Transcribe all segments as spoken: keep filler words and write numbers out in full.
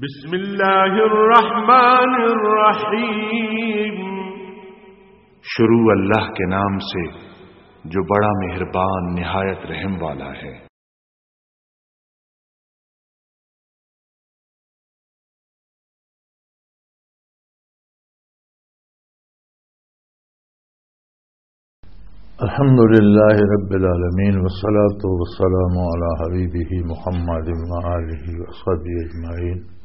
بسم اللہ الرحمن الرحیم۔ شروع اللہ کے نام سے، جو بڑا مہربان، نہایت رحم والا ہے۔ الحمد لله رب العالمين، والصلاة والسلام على حبيبه محمد وآله وصحبه أجمعين.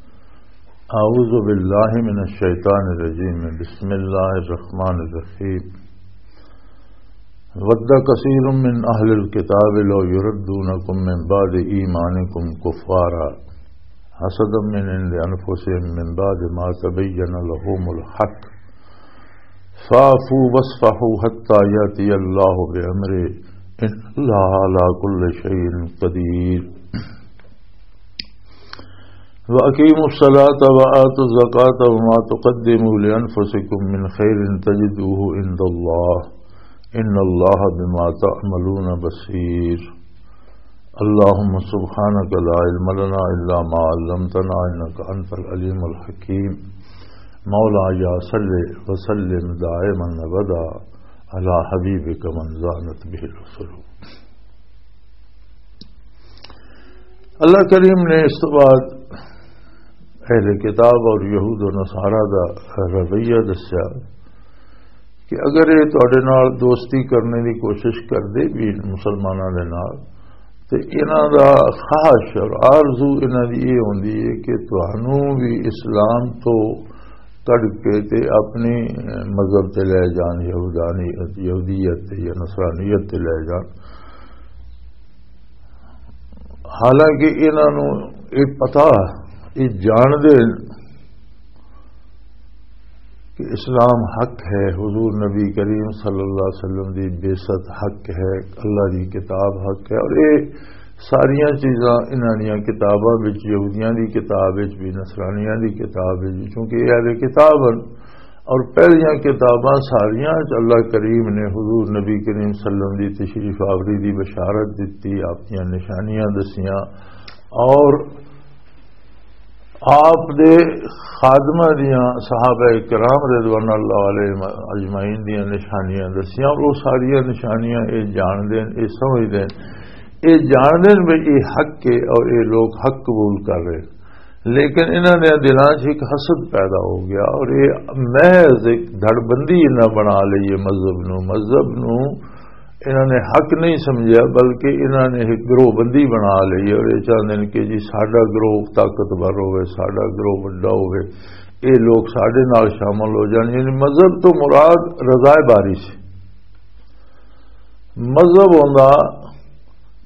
أعوذ بالله من الشيطان الرجيم. بسم الله الرحمن الرحيم. ود كثير من أهل الكتاب لو يردونكم من بعد إيمانكم كفارا حسدا من عند أنفسهم من بعد ما تبين لهم الحق فاعفوا واصفحوا حتى يأتي الله بأمره إن الله على كل شيء قدير. وأقيموا الصلاة وآتوا الزكاة وما تقدموا لأنفسكم من خير تجدوه عند الله إن الله بما تعملون بصير. اللهم سبحانك لا علم لنا إلا ما علمتنا إنك أنت العليم الحكيم. مولاي صل وسلم دائما أبدا على حبيبك من زانت به الرسل. اللہ کریم نے اس تو بعد اہل کتاب اور یہود و نصارہ دا رویہ دسیا کہ اگر یہ تواڈے نال دوستی کرنے دی کوشش کردے بھی مسلماناں دے نال، تے انہاں دا خواہش اور آرزو انہاں دی یہ ہوندی ہے کہ تانوں بھی اسلام تو کڈ کے تے اپنی مذہب تے لے جان، یہودانیت، یہودیت تے یا نصرانیت تے لے جان۔ حالانکہ انہاں نوں یہ پتا، یہ جاندے کہ اسلام حق ہے، حضور نبی کریم صلی اللہ علیہ وسلم دی بعثت حق ہے، اللہ دی کتاب حق ہے، اور یہ ساریاں چیزاں انہاں دیاں کتاباں وچ، یہودیاں دی کتاب وچ بھی، نصرانیاں دی کتاب وچ بھی، چونکہ یہ اہل کتاب ہن اور پہلیاں کتاباں ساریاں وچ اللہ کریم نے حضور نبی کریم صلی اللہ علیہ وسلم دی تشریف آوری دی بشارت دتی، آپ دیاں نشانیاں دسیاں، اور آپ دے خادمہ دیاں، صحابہ کرام رضوان اللہ علیہم اجمعین دیاں نشانیاں دسیاں، اور وہ ساریاں نشانیاں یہ جان دین، یہ سمجھ دین، یہ جان دین بھی یہ حق ہے اور یہ لوگ حق قبول کر رہے، لیکن انہاں دے دلاں 'چ ایک حسد پیدا ہو گیا اور یہ محض ایک دھڑبندی انہاں بنا لئی ہے مذہب نو، مذہب نو انہاں نے حق نہیں سمجھیا، بلکہ انہاں نے ایک گروہ بندی بنا لئی اور یہ چاہندے نے کہ جی ساڈا گروہ طاقتور ہوئے، ساڈا گروہ وڈا ہوئے، یہ لوگ ساڈے نال شامل ہو جان۔ یعنی مذہب تو مراد رضا باری سے۔ مذہب ہوندا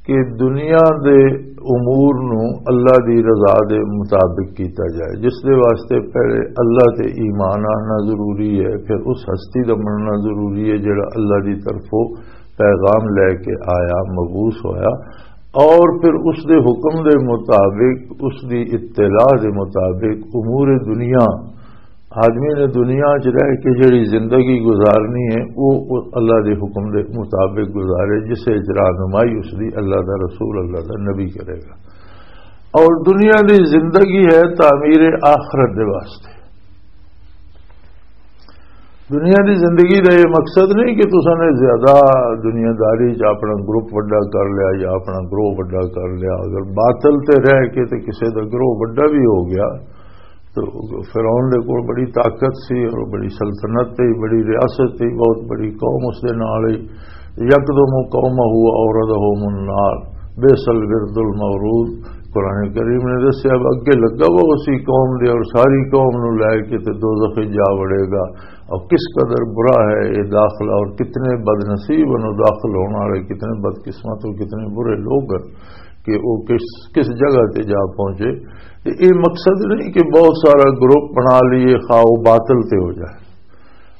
کہ دنیا دے امور نو اللہ دی رضا دے مطابق کیتا جائے، جس دے واسطے پہلے اللہ تے ایمان آنا ضروری ہے، پھر اس ہستی دا مننا ضروری ہے جڑا اللہ دی طرفوں پیغام لے کے آیا، مبعوث ہویا، اور پھر اس دے حکم دے مطابق، اس دی اطلاع دے مطابق امور دنیا، آدمی نے دنیا 'چ رہ کے جڑی زندگی گزارنی ہے، وہ اللہ دے حکم دے مطابق گزارے، جسے 'چ رہنمائی اس دی اللہ دا رسول، اللہ دا نبی کرے گا۔ اور دنیا دی زندگی ہے تعمیر آخرت دے واسطے۔ دنیا دی زندگی دا یہ مقصد نہیں کہ تساں نے زیادہ دنیا داری 'چ اپنا گروپ وڈا کر لیا یا اپنا گروہ وڈا کر لیا۔ اگر باطل تے رہ کے تے کسے دا گروہ وڈا بھی ہو گیا، تو فرعون دے کول بڑی طاقت سی اور بڑی سلطنت تے بڑی ریاست تے، بہت بڑی قوم اس دے نال ہی۔ یکدم قومہ اوردہم النار، بئس الورد المورود۔ قرآن کریم نے دسیا، اب اگے لگا وا اسی قوم دے اور ساری قوم نو لے کے تے دوزخ وچ جا وڑے گا۔ اور کس قدر برا ہے یہ داخلہ اور کتنے بد نصیب ہیں داخل ہونے والے، کتنے بدقسمت اور کتنے برے لوگ ہیں کہ وہ کس، کس جگہ تے جا پہنچے۔ تے یہ مقصد نہیں کہ بہت سارا گروپ بنا لیے، خواہ وہ باطل تے ہو جائے۔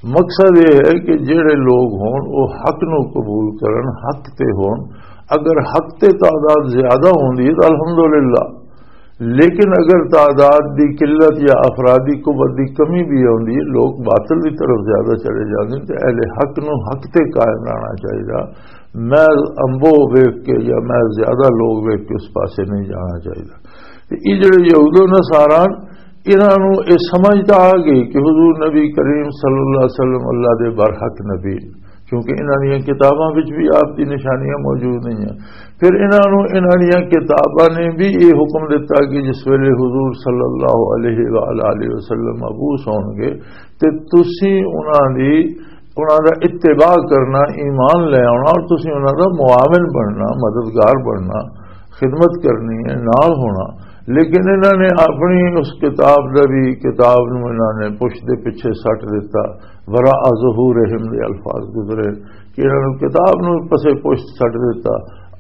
مقصد یہ ہے کہ جڑے لوگ ہون، وہ حق نو قبول کرن، حق تے ہون۔ اگر حق تے تعداد زیادہ ہوندی ہے تو الحمدللہ، لیکن اگر تعداد دی قلت یا افرادی قوت دی کمی بھی ہوندی ہے، لوگ باطل دی طرف زیادہ چلے جاندے ہیں، تے اہل حق نو حق تے قائم رہنا چاہیے۔ میں امبو ویکھ کے یا میں زیادہ لوگ ویکھ کے اس پاسے نہیں جانا چاہیے۔ تے یہ جڑے یہود و نصارا، انہاں نوں یہ سمجھ تاں آ گئی کہ حضور نبی کریم صلی اللہ علیہ وسلم اللہ دے برحق نبی، کیونکہ انہاں دیاں کتاباں وچ بھی آپ دی نشانیاں موجود نہیں ہیں۔ پھر انہاں نوں، انہاں دیاں کتاباں نے بھی یہ حکم دتا کہ جس ویلے حضور صلی اللہ علیہ وآلہ وسلم مبعوث ہون گے، تے تسی انہاں دی، انہاں دا اتباع کرنا، ایمان لے آنا، اور تسی انہاں دا معاون بننا، مددگار بننا، خدمت کرنی ہے، نال ہونا۔ لیکن انہاں نے اپنی اس کتاب دا بھی، کتاب نوں انہاں نے پشت دے پچھے سٹ دتا، وراء ظہورہم دے الفاظ گزرے کہ انہاں نے کتاب نوں پسے پشت سٹ دتا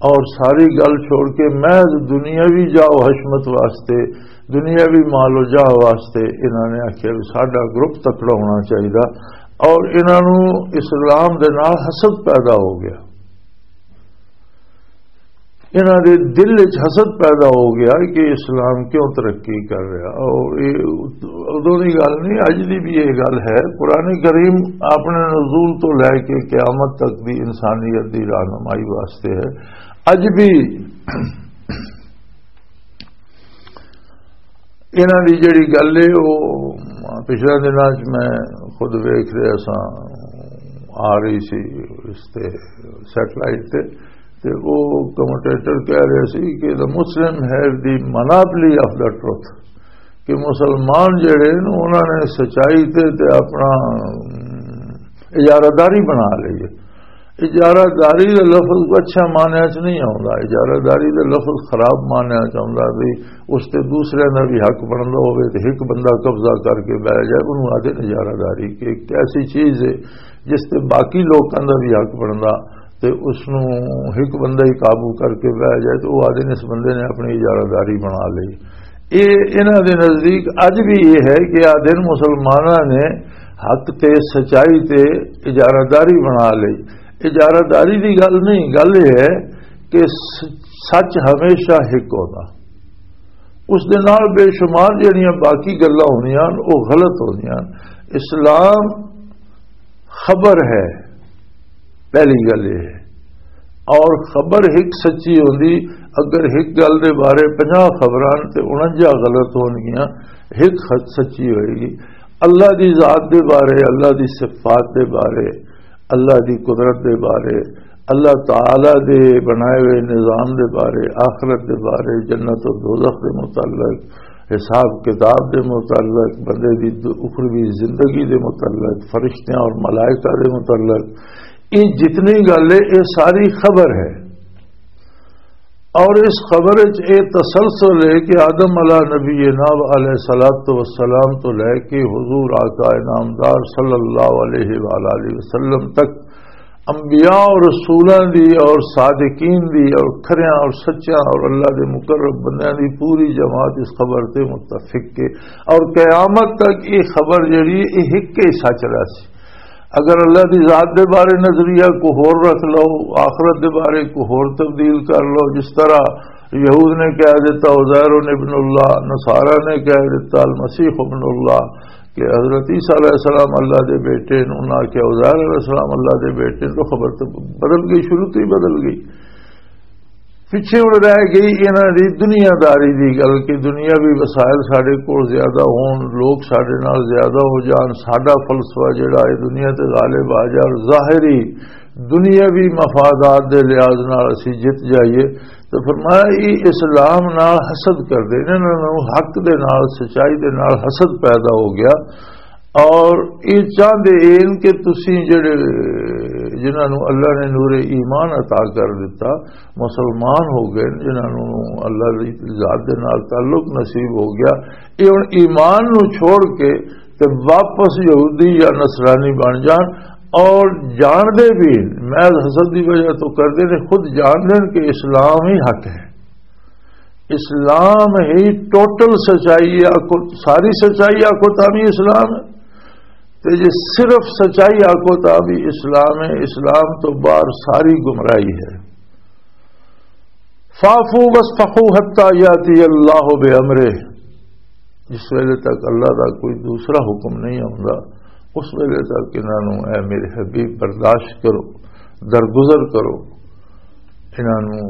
اور ساری گل چھوڑ کے محض دنیاوی جاہ و حشمت واسطے، دنیاوی مال و جاہ واسطے انہاں نے آکھیا بھی ساڈا گروپ تکڑا ہونا چاہیدا، اور انہاں نوں اسلام دے نال حسد پیدا ہو گیا۔ انہاں دے دل وچ حسد پیدا ہو گیا کہ اسلام کیوں ترقی کر رہا۔ اور یہ ادوں دی گل نہیں، اج دی بھی یہ گل ہے۔ قرآن کریم اپنے نزول تو لے کے قیامت تک دی انسانیت دی رہنمائی واسطے ہے۔ اج بھی انہاں دی جڑی گل ہے، وہ پچھلے دناں چ میں خود ویکھ رہا سا، آ رہی سی اس تے، سیٹلائٹ تے، تے وہ کمنٹیٹر کہہ رہے سی کہ the Muslim have the monopoly of the truth، کہ مسلمان جڑے نے، انہاں نے سچائی تے، تے اپنا اجارہ داری بنا لئی ہے۔ اجارہ داری دا لفظ کوئی اچھا معنی چ نہیں آوندا، اجارہ داری دا لفظ خراب معنی چ آوندا، بھی اس تے دوسرے دا بھی حق بندا ہوئے تے ایک بندہ قبضہ کر کے بہ جائے، انہوں آدھے اجارہ داری، کہ ایک ایسی چیز ہے جس تے باقی لوکاں دا بھی حق بندا، تے اس نوں ایک بندہ ہی قابو کر کے بہ جائے، تو وہ آدھے نے اس بندے نے اپنی اجارہ داری بنا لئی۔ یہ انہاں دے نزدیک اج بھی یہ ہے کہ آدھے نے مسلماناں نے حق تے سچائی تے اجارہ داری بنا لئی۔ اجارہ داری دی گل نہیں، گل یہ ہے کہ س-، سچ ہمیشہ ایک ہوتا، اس دے نال بے شمار جڑیاں باقی گلاں ہوندیاں، وہ غلط ہوندیاں۔ اسلام خبر ہے، پہلی گل یہ ہے۔ اور خبر ایک سچی ہوندی، اگر ایک گل دے بارے پنجاہ خبراں تے انجا غلط ہونگیاں، ایک خ-، سچی ہوئے گی۔ اللہ دی ذات دے بارے، اللہ دی صفات دے بارے، اللہ دی قدرت دے بارے، اللہ تعالی دے بنائے ہوئے نظام دے بارے، آخرت دے بارے، جنت اور دوزخ دے متعلق، حساب کتاب دے متعلق، بندے دی د-، اخروی زندگی دے متعلق، فرشتیاں اور ملائکہ دے متعلق، یہ جتنی گل ہے، یہ ساری خبر ہے۔ اور اس خبر وچ یہ تسلسل ہے کہ آدم علیہ نبینا و علیہ الصلوۃ والسلام تو لے کے حضور آقا انعامدار صلی اللہ علیہ وآلہ وسلم تک انبیاء اور رسولاں دی اور صادقین دی اور کھریاں اور سچیاں اور اللہ دے مقرب بندیاں دی پوری جماعت اس خبر تے متفق ہے۔ اور قیامت تک یہ خبر جڑی ہے، یہ ایک ہی سچ رہسی۔ اگر اللہ دی ذات دے بارے نظریہ کو ہور رکھ لو، آخرت دے بارے کو ہور تبدیل کر لو، جس طرح یہود نے کہہ دیتا عزیر ابن اللہ، نصارہ نے کہہ دیتا المسیح ابن اللہ، کہ حضرت عیسیٰ علیہ السلام اللہ دے بیٹے نے، انہاں کہ عزیر علیہ السلام اللہ دے بیٹے نے، تو خبر تو بدل گئی، شروع تو ہی بدل گئی۔ پچھے ہن رہ گئی انہاں دی دنیا داری دی گل کہ دنیاوی وسائل ساڈے کول زیادہ ہون، لوگ ساڈے نال زیادہ ہو جان، ساڈا فلسفہ جڑا ہے دنیا تے غالب آ جان، ظاہری دنیاوی مفادات دے لحاظ نال اسی جت جائیے۔ تو فرمایا، یہ اسلام نال حسد کردے نے، انہاں نوں حق دے نال، سچائی دے نال حسد پیدا ہو گیا۔ اور یہ چاہتے ہیں کہ تسی جڑے، جنہاں نوں اللہ نے نور ایمان عطا کر دیتا، مسلمان ہو گئے، جنہاں نوں اللہ دی ذات دے نال تعلق نصیب ہو گیا، یہ ہن ایمان نوں چھوڑ کے تے واپس یہودی یا نصرانی بن جان اور جان دے بھی محض حسد دی وجہ تو کردے نے، خود جان دین کہ اسلام ہی حق ہے۔ اسلام ہی ٹوٹل سچائی ہے، آکھو، ساری سچائی آکھو تاں بھی اسلام ہے، تے جے صرف سچائی آکھو تاں بھی اسلام ہے۔ اسلام تو باہر ساری گمراہی ہے۔ فاعفوا واصفحوا حتی یاتی اللہ بامرہ، جس ویلے تک اللہ دا کوئی دوسرا حکم نہیں آوندا، اس ویلے تک انہاں نوں، اے میرے حبیب، برداشت کرو، درگزر کرو۔ انہاں نوں،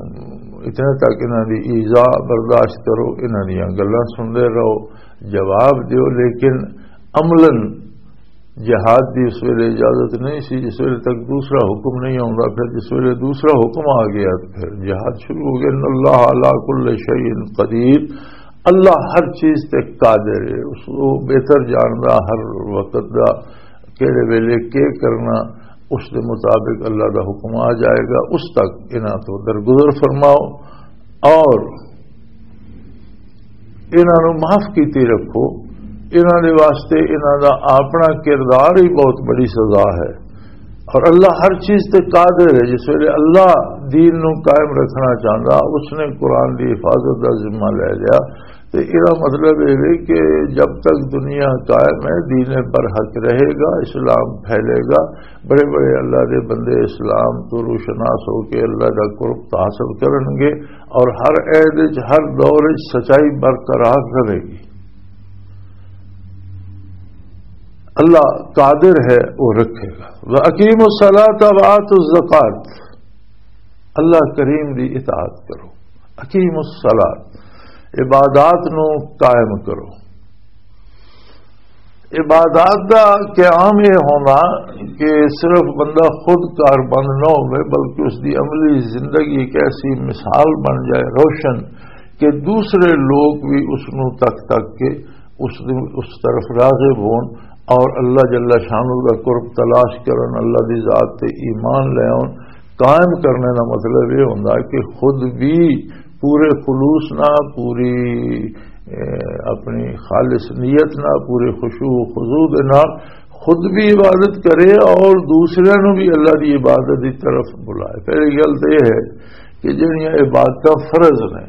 اتنے تک انہاں دی ایذا برداشت کرو، انہاں دیاں گلاں سنتے رہو، جواب دیو، لیکن عملاً جہاد دی اس ویلے اجازت نہیں سی، جس ویلے تک دوسرا حکم نہیں آوندا۔ پھر جس ویلے دوسرا حکم آ گیا، تو پھر جہاد شروع ہو گیا۔ ان اللہ علی کل شیء قدیر، اللہ ہر چیز تے قادر ہے، اس کو بہتر جاندا ہر وقت دا، کہڑے ویلے کی کرنا، اس دے مطابق اللہ دا حکم آ جائے گا۔ اس تک انہاں تو درگزر فرماؤ اور انہاں نوں معاف کیتی رکھو۔ انہاں دے واسطے انہاں دا اپنا کردار ہی بہت بڑی سزا ہے۔ اور اللہ ہر چیز تے قادر ہے۔ جس ویلے اللہ دین نوں قائم رکھنا چاہندا، اس نے قرآن دی حفاظت دا ذمہ لے لیا۔ تے ایہدا مطلب یہ ہے کہ جب تک دنیا قائم ہے، دین برحق رہے گا، اسلام پھیلے گا، بڑے بڑے اللہ دے بندے اسلام تو روشناس ہو کے اللہ دا قرب حاصل کرن گے، اور ہر عہد وچ، ہر دور وچ سچائی برقرار رہے گی۔ اللہ قادر ہے، وہ رکھے گا۔ وَأَقِيمُوا الصَّلَاةَ وَآتُوا الزَّكَاةَ، اللہ کریم دی اطاعت کرو۔ اقیم الصلاۃ، عبادات نو قائم کرو۔ عبادات دا قیام یہ ہونا کہ صرف بندہ خود کار بند نہ ہوئے، بلکہ اس دی عملی زندگی ایک ایسی مثال بن جائے، روشن، کہ دوسرے لوگ بھی اس نو تک تک کے اس، اس طرف راغب ہون اور اللہ جل شانہ دا قرب تلاش کرن، اللہ دی ذات تے ایمان لے آؤن۔ قائم کرنے دا مطلب یہ ہوندا کہ خود بھی پورے خلوص نال، پوری، اے، اپنی خالص نیت نال، پورے خشوع و خضوع دے نال خود بھی عبادت کرے اور دوسرے نو بھی اللہ دی عبادت دی طرف بلائے۔ پہلی گل تو یہ ہے کہ جڑیاں عبادتاں فرض نے،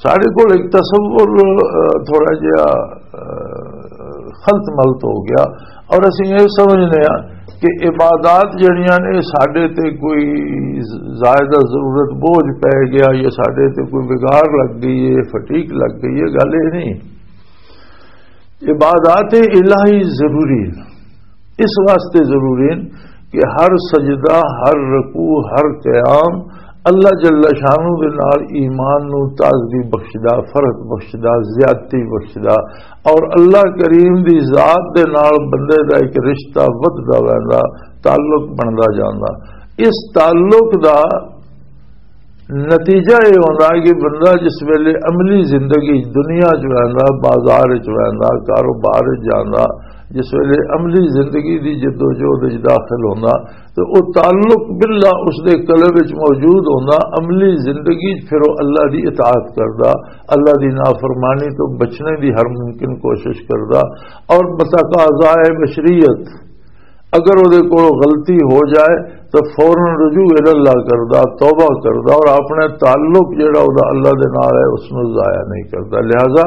ساڈے کول ایک تصور، آ، تھوڑا جہا، آ، خلط ملط ہو گیا، اور اسی یہ سمجھنے ہاں کہ عبادات جڑیاں نے، ساڈے تے کوئی زائدہ ضرورت، بوجھ پے گیا یا ساڈے تے کوئی بگاڑ لگ گئی ہے، فٹیگ لگ گئی ہے، گل یہ نہیں۔ عبادات الہی ضروری ہے، اس واسطے ضروری ہے کہ ہر سجدہ، ہر رکوع، ہر قیام اللہ جل شانہ دے نال ایمان نو تازگی بخشدا، فرحت بخشدا، زیادتی بخشدا، اور اللہ کریم دی ذات دے نال بندے دا ایک رشتہ ودھدا ویندا، تعلق بندا جاندا۔ اس تعلق دا نتیجہ یہ ہوندا ہے کہ بندہ جس ویلے عملی زندگی دنیا چ ویندا، بازار چ ویندا، کاروبار چ جاندا، جس ویلے عملی زندگی دی جدوجہد وچ داخل ہوندا، تے او تعلق باللہ اس دے قلب وچ موجود ہوندا۔ عملی زندگی وچ پھر او اللہ دی اطاعت کردا، اللہ دی نافرمانی تو بچنے دی ہر ممکن کوشش کردا، اور بتقاضائے بشریت اگر او دے کول غلطی ہو جائے تو فوراً رجوع الی اللہ کردا، توبہ کردا، اور اپنے تعلق جڑا او دا اللہ دے نال ہے، اس نوں ضائع نہیں کردا۔ لہذا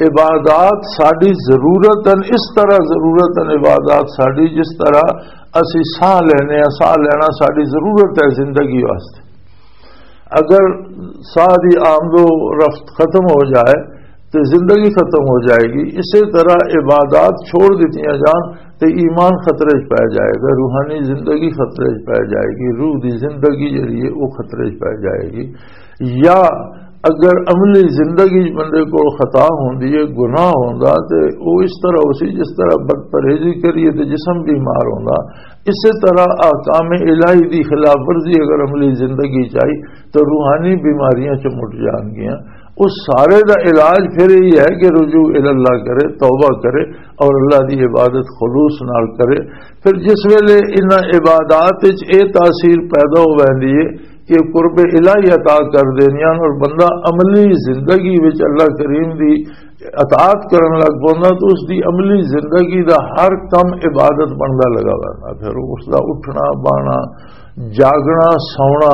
عبادات ساڈی ضرورت ہیں، اس طرح ضرورت ہیں عبادات ساڈی، جس طرح اسی ساہ لینے ہیں، ساہ لینا ساڈی ضرورت ہے زندگی واسطے۔ اگر ساہ دی آمد و رفت ختم ہو جائے تو زندگی ختم ہو جائے گی۔ اسی طرح عبادات چھوڑ دتیاں جان تو ایمان خطرے چ پی جائے گا، روحانی زندگی خطرے چ پی جائے گی، روح دی زندگی جڑی ہے وہ خطرے چ پی جائے گی۔ یا اگر عملی زندگی چ بندے کو خطا ہوندی ہے، گناہ ہوندا، تے او اس طرح ہو سی جس طرح بد پرہیزی کریے تے جسم بیمار ہوندا، اسی طرح احکام الہی دی خلاف ورزی اگر عملی زندگی چ آئی تو روحانی بیماریاں چ مٹ جان گیاں۔ اس سارے دا علاج پھر یہی ہے کہ رجوع الی اللہ کرے، توبہ کرے اور اللہ دی عبادت خلوص نال کرے۔ پھر جس ویلے انہاں عبادات وچ اے تاثیر پیدا ہو ویندی ہے کہ قرب الہی عطا کر دینیاں اور بندہ عملی زندگی وچ اللہ کریم دی اطاعت کرن لگ پوندا، تو اس دی عملی زندگی دا ہر کم عبادت بندا لگا ویندا۔ پھر اس دا اٹھنا، بانا، جاگنا، سونا،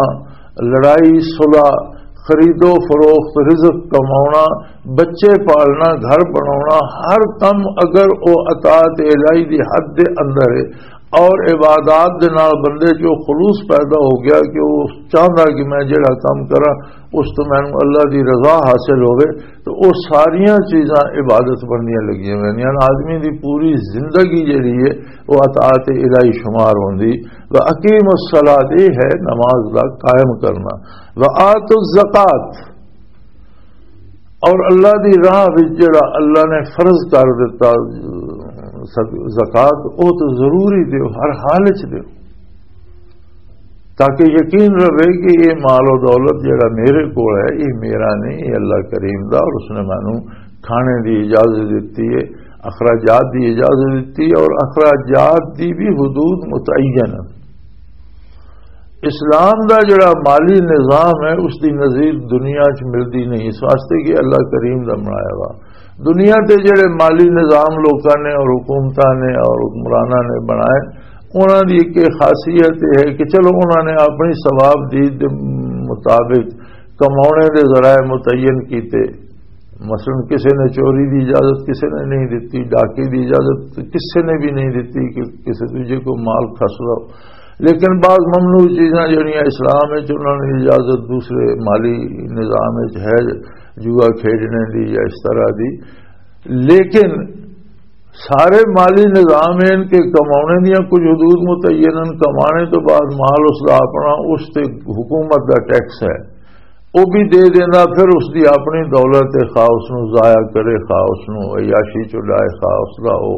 لڑائی، صلح، خرید و فروخت، رزق کماؤنا، بچے پالنا، گھر بناؤنا، ہر کم اگر او اطاعت الہی دی حد دے اندر ہے، اور عبادات دے نال بندے چ او خلوص پیدا ہو گیا کہ او چاہندا کہ میں جڑا کم کراں، اس تو مینوں اللہ دی رضا حاصل ہوے۔ تو او ساریاں چیزاں عبادت بندیاں لگیاں ہوئیاں۔ آدمی دی پوری زندگی جڑی ہے، او اطاعت الہی شمار ہوندی۔ و اقیم الصلاۃ، یہ ہے نماز دا قائم کرنا۔ و آت الزکات، اور اللہ دی راہ وچ جڑا اللہ نے فرض کر دیتا، زکات، او تو ضروری دیو، ہر حال وچ دیو، تاکہ یقین رہے کہ یہ مال و دولت جڑا میرے کول ہے، یہ میرا نہیں، یہ اللہ کریم دا، اور اس نے مینوں کھانے دی اجازت دتی ہے، اخراجات دی اجازت دتی ہے، اور اخراجات دی بھی حدود متعین ہے۔ اسلام دا جڑا مالی نظام ہے، اس دی نظیر دنیا چ ملدی نہیں، اس واسطے کہ اللہ کریم دا بنایا ہوا۔ دنیا تے جڑے مالی نظام لوکاں نے اور حکومتاں نے اور حکمراناں نے بنائے، انہاں دی ایک خاصیت یہ ہے کہ چلو، انہاں نے اپنی ثواب دید دے مطابق کمانے دے ذرائع متعین کیتے۔ مثلاً کسی نے چوری دی اجازت کسی نے نہیں دتی، ڈاکے دی اجازت کسی نے بھی نہیں دتی کہ کسی دوجے کو مال کھس لو۔ لیکن بعض ممنوع چیزاں جڑیاں اسلام وچ، انہاں نے اجازت دوسرے مالی نظام وچ ہے، جوا کھیڈنے دی یا اس طرح دی۔ لیکن سارے مالی نظام ان کے کمانے دیاں کچھ حدود متعین ہیں، کمانے تو بعد مال اس دا اپنا، اس تے حکومت دا ٹیکس ہے، وہ بھی دے دینا۔ پھر اس دی اپنی دولت ہے، خواہ اس نو ضائع کرے، خواہ اس نو عیاشی چ ڈائے، خواہ اس دا وہ،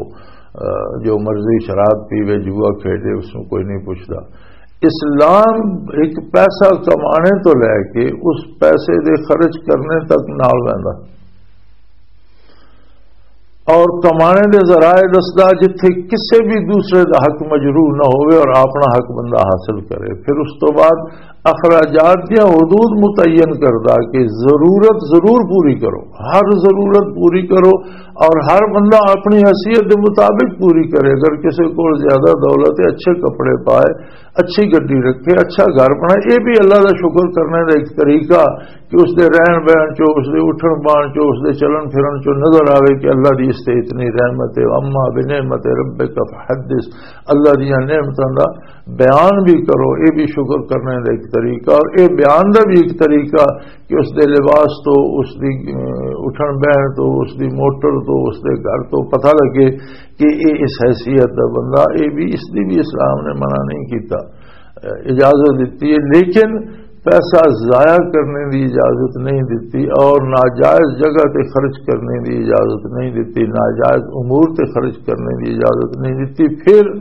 آ، جو مرضی شراب پیوے، جوا کھیڈے، اس نو کوئی نہیں پوچھدا۔ اسلام ایک پیسہ کمانے تو لے کے اس پیسے دے خرچ کرنے تک نال رہندا۔ اور کمانے دے ذرائع دسدا، جتھے کسے بھی دوسرے دا حق مجروح نہ ہوئے اور اپنا حق بندہ حاصل کرے۔ پھر اس تو بعد اخراجات دیاں حدود متعین کردا کہ ضرورت ضرور پوری کرو، ہر ضرورت پوری کرو، اور ہر بندہ اپنی حیثیت دے مطابق پوری کرے۔ اگر کسے کول زیادہ دولت ہے، اچھے کپڑے پائے، اچھی گڈی رکھے، اچھا گھر بنائے، یہ بھی اللہ دا شکر کرنے دا ایک طریقہ کہ اس دے رہن بہن چو، اس دے اٹھن بان چو، اس دے چلن پھرن چو نظر آوے کہ اللہ دی اس تے اتنی رحمت ہے۔ اما بنعمت ربک فحدث، اللہ دیاں نعمتاں دا بیان بھی کرو، یہ بھی شکر کرنے دا ایک طریقہ۔ اور یہ بیان دا بھی ایک طریقہ کہ اس دے لباس تو، اس دی، ا، اٹھن بہن تو، اس دی موٹر تو، اس دے گھر تو پتہ لگے کہ یہ اس حیثیت دا بندہ، یہ بھی، اس دی بھی اسلام نے منع نہیں کیتا، ا، اجازت دیتی ہے۔ لیکن پیسہ ضائع کرنے دی اجازت نہیں دیتی اور ناجائز جگہ تے خرچ کرنے دی اجازت نہیں دیتی، ناجائز امور تے خرچ کرنے دی اجازت نہیں دیتی۔ پھر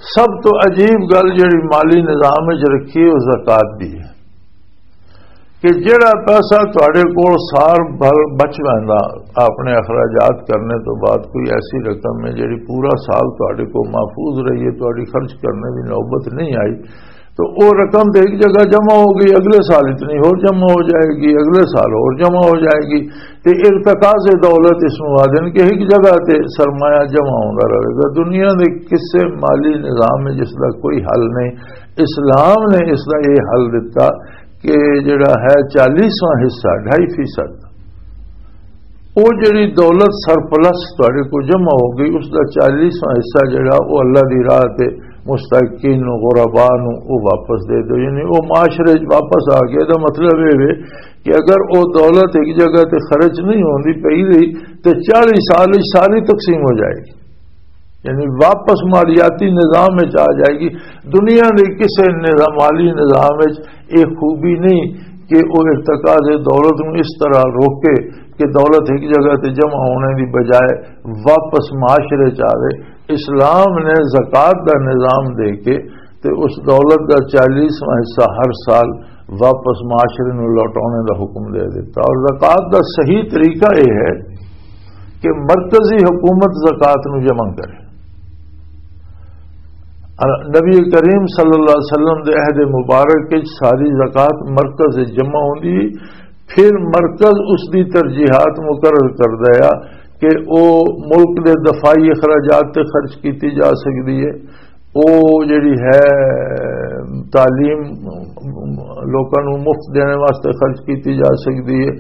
سب تو عجیب گل جڑی مالی نظام وچ رکھی ہے، وہ زکوٰۃ دی ہے کہ جڑا پیسہ تہاڈے کول سال بھر بچ ویندا اپنے اخراجات کرنے تو بعد، کوئی ایسی رقم ہے جڑی پورا سال تہاڈے کول محفوظ رہی ہے، تہاڈی خرچ کرنے دی نوبت نہیں آئی، تو وہ رقم تے ایک جگہ جمع ہو گئی، اگلے سال اتنی اور جمع ہو جائے گی، اگلے سال اور جمع ہو جائے گی۔ تے ارتکاز دولت اس نوں آدن کہ ایک جگہ تے سرمایہ جمع ہوندا رہے گا۔ دنیا دے کسے مالی نظام میں جس دا کوئی حل نہیں، اسلام نے اس دا یہ حل دتا کہ جڑا ہے چالیسواں حصہ، ڈھائی فیصد، وہ جڑی دولت سرپلس تہاڈے کو جمع ہو گئی، اس دا چالیسواں حصہ جڑا، وہ اللہ دی راہ تے مستحقین نو، غربا نو، وہ واپس دے دو۔ یعنی وہ معاشرے وچ واپس آ گیا۔ دا مطلب یہ وے کہ اگر وہ دولت ایک جگہ تے خرچ نہیں ہوندی پئی رہی، تے چالیس سال وچ ساری تقسیم ہو جائے گی۔ یعنی واپس مالیاتی نظام وچ آ جائے گی۔ دنیا دے کسے نظام، مالی نظام وچ یہ خوبی نہیں کہ وہ ارتکاز دولت نوں اس طرح روکے کہ دولت ایک جگہ تے جمع ہونے دی بجائے واپس معاشرے چ آوے۔ اسلام نے زکوٰۃ دا نظام دے کے تے اس دولت دا چالیسواں حصہ ہر سال واپس معاشرے نوں لوٹانے دا حکم دے دیتا۔ اور زکوٰۃ دا صحیح طریقہ یہ ہے کہ مرکزی حکومت زکوٰۃ نوں جمع کرے۔ نبی کریم صلی اللہ علیہ وسلم دے عہد مبارک وچ ساری زکوٰۃ مرکز وچ جمع ہوندی، پھر مرکز اس دی ترجیحات مقرر کردا ہے کہ او ملک دے دفاعی اخراجات تے خرچ کیتی جا سکدی ہے، او جڑی ہے تعلیم لوکاں نوں مفت دینے واسطے خرچ کیتی جا سکدی ہے،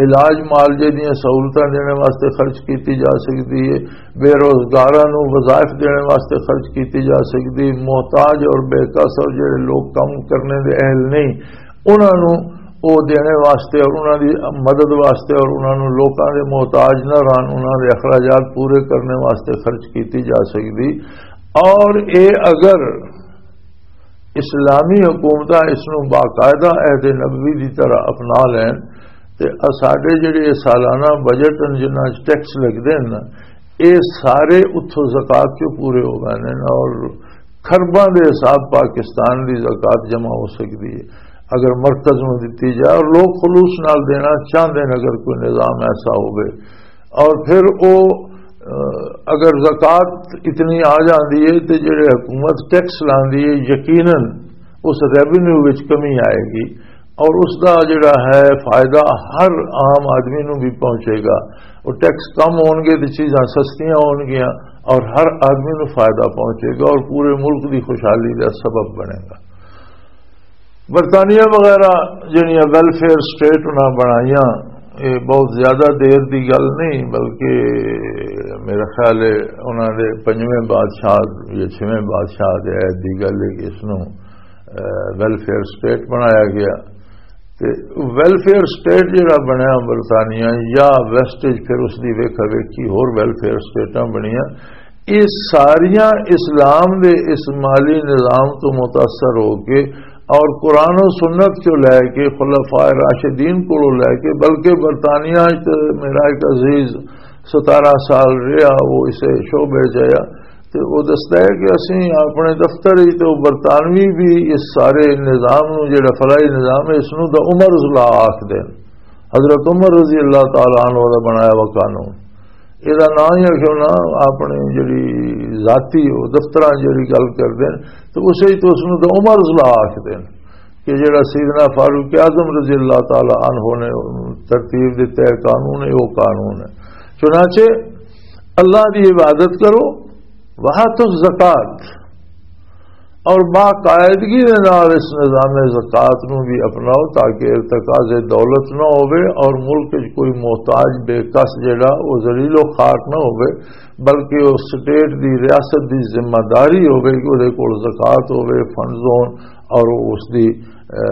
علاج معالجے دیاں سہولتاں دینے واسطے خرچ کیتی جا سکدی ہے، بے روزگاراں نوں وظائف دینے واسطے خرچ کیتی جا سکدی، محتاج اور بے کس اور جڑے لوگ کم کرنے دے اہل نہیں، انہاں نوں او دینے واسطے اور انہاں دی مدد واسطے اور انہاں نوں لوکاں دے محتاج نہ رہن، انہاں دے اخراجات پورے کرنے واسطے خرچ کیتی جا سکدی۔ اور اے اگر اسلامی حکومتاں اس نوں باقاعدہ عہد نبوی دی طرح اپنا لین تے ساڈے جڑے سالانہ بجٹ ہن، جنہاں وچ ٹیکس لگدے ہن، اے سارے اتھوں زکوٰۃ چوں پورے ہو گئے نے اور کھرباں دے حساب پاکستان دی زکوٰۃ جمع ہو سکدی ہے اگر مرکز نوں دتی جائے اور لوگ خلوص نال دینا چاہندے نے۔ اگر کوئی نظام ایسا ہوے اور پھر او، اگر زکوٰۃ اتنی آ جاندی ہے تے جڑے حکومت ٹیکس لاندی ہے، یقیناً اس ریونیو وچ کمی آئے گی اور اس دا جڑا ہے فائدہ ہر عام آدمی نوں بھی پہنچے گا۔ وہ ٹیکس کم ہون گے تے چیزاں سستیاں ہون گیاں اور ہر آدمی نوں فائدہ پہنچے گا اور پورے ملک دی خوشحالی دا سبب بنے گا۔ برطانیہ وغیرہ جڑیاں ویلفیئر سٹیٹ انہاں بنائیاں، یہ بہت زیادہ دیر دی گل نہیں، بلکہ میرا خیال ہے انہاں دے پنجویں بادشاہ یا چھویں بادشاہ دے عہد دی گل ہے کہ اس نوں، اے، ویلفیئر سٹیٹ بنایا گیا۔ تے ویلفیئر سٹیٹ جڑا بنیا برطانیہ یا ویسٹیج، پھر اس دی ویکھا ویکھی ہور ویلفیئر سٹیٹاں بنیاں، یہ ساریاں اسلام دے اس مالی نظام تو متاثر ہو کے اور قرآن و سنت چوں لے کے، خلفاء راشدین کولوں لے کے، بلکہ برطانیہ وچ تے میرا ایک عزیز ستارہ سال رہا، وہ اسے شعبے چ آیا، تے وہ دستا ہے کہ اسی اپنے دفتر وچ تے وہ برطانوی بھی اس سارے نظام نو، جڑا فلاحی نظام ہے، اس نو دا عمر لا آکھ دین۔ حضرت عمر رضی اللہ تعالی عنہ دا بنایا ہوا قانون، اے دا نام ہی رکھو نا، اپنے جڑی ذاتی وہ دفتراں جڑی گل کردے نے، تو اسے ہی تو اس نو تو عمر لا آکھدے نے کہ جڑا سیدنا فاروق اعظم رضی اللہ تعالی عنہ نے ترتیب دتا ہے قانون ہے، وہ قانون ہے۔ چنانچہ اللہ دی عبادت کرو، وہاتو الزکات، اور باقاعدگی دے نال اس نظام زکات نو بھی اپناؤ، تاکہ ارتکاز دولت نہ ہوئے اور ملک وچ کوئی محتاج بے کس جڑا وہ ذلیل و خوار نہ ہوئے، بلکہ وہ سٹیٹ دی، ریاست دی ذمہ داری ہوئے کہ وہ کول زکات ہوئے، فنڈز ہون، اور وہ اس دی، اے،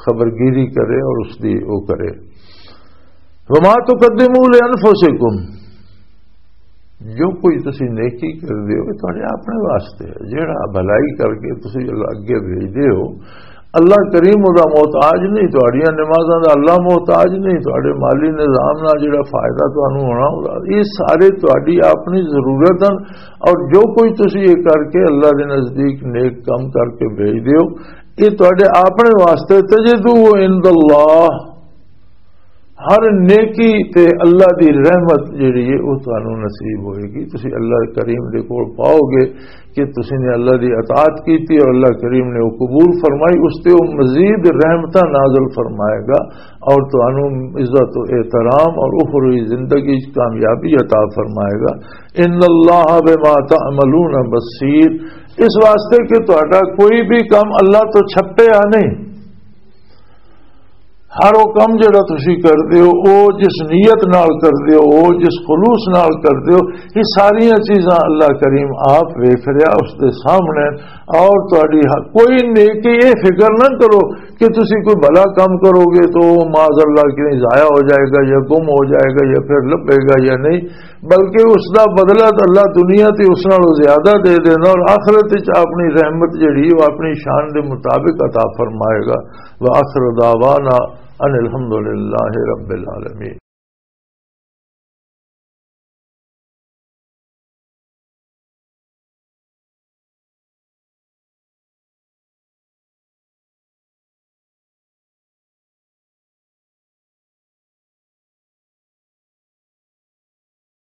خبرگیری کرے اور اس دی وہ کرے۔ وما تقدموا لانفسکم، جو کوئی تسی نیکی کر دیو، یہ تہاڈے اپنے واسطے ہے۔ جیڑا بھلائی کر کے تسی اللہ اگے بھیج دیو، اللہ کریم دا محتاج نہیں، تہاڈیاں نمازاں دا اللہ محتاج نہیں، تہاڈے مالی نظام نال جیڑا فائدہ تانوں ہونا، یہ سارے تہاڈی اپنی ضرورت ہیں۔ اور جو کوئی تسی یہ کر کے اللہ دے نزدیک نیک کم کر کے بھیج دیو، یہ تہاڈے اپنے واسطے۔ تجدوہ عند اللہ، ہر نیکی تے اللہ دی رحمت جڑی ہے، وہ تانوں نصیب ہوئے گی۔ تسی اللہ کریم دے کول پاؤ گے کہ تسی نے اللہ دی اطاعت کیتی اور اللہ کریم نے وہ قبول فرمائی، اس تے وہ مزید رحمتاں نازل فرمائے گا اور تانوں عزت و احترام اور اخروی زندگی وچ کامیابی عطا فرمائے گا۔ ان اللہ بما تعملون بصیر، اس واسطے کہ تہاڈا کوئی بھی کام اللہ تو چھپیا نہیں۔ ہر وہ کم جڑا تسی کردے ہو، وہ جس نیت نال کردے ہو، وہ جس خلوص نال کردے ہو، یہ ساریاں چیزاں اللہ کریم آپ ویکھ رہا، اس دے سامنے۔ اور تہاڈی ہ-، کوئی نیکی، یہ فکر نہ کرو کہ تسی کوئی بھلا کم کرو گے تو وہ معاذ اللہ کہیں ضائع ہو جائے گا یا گم ہو جائے گا یا پھر لبھے گا یا نہیں، بلکہ اس دا بدلہ تو اللہ دنیا تے اس نالوں زیادہ دے دینا اور آخرت وچ اپنی رحمت جڑی وہ اپنی شان دے مطابق عطا فرمائے گا۔ وآخر دعوانا ان الحمد للہ رب العالمین۔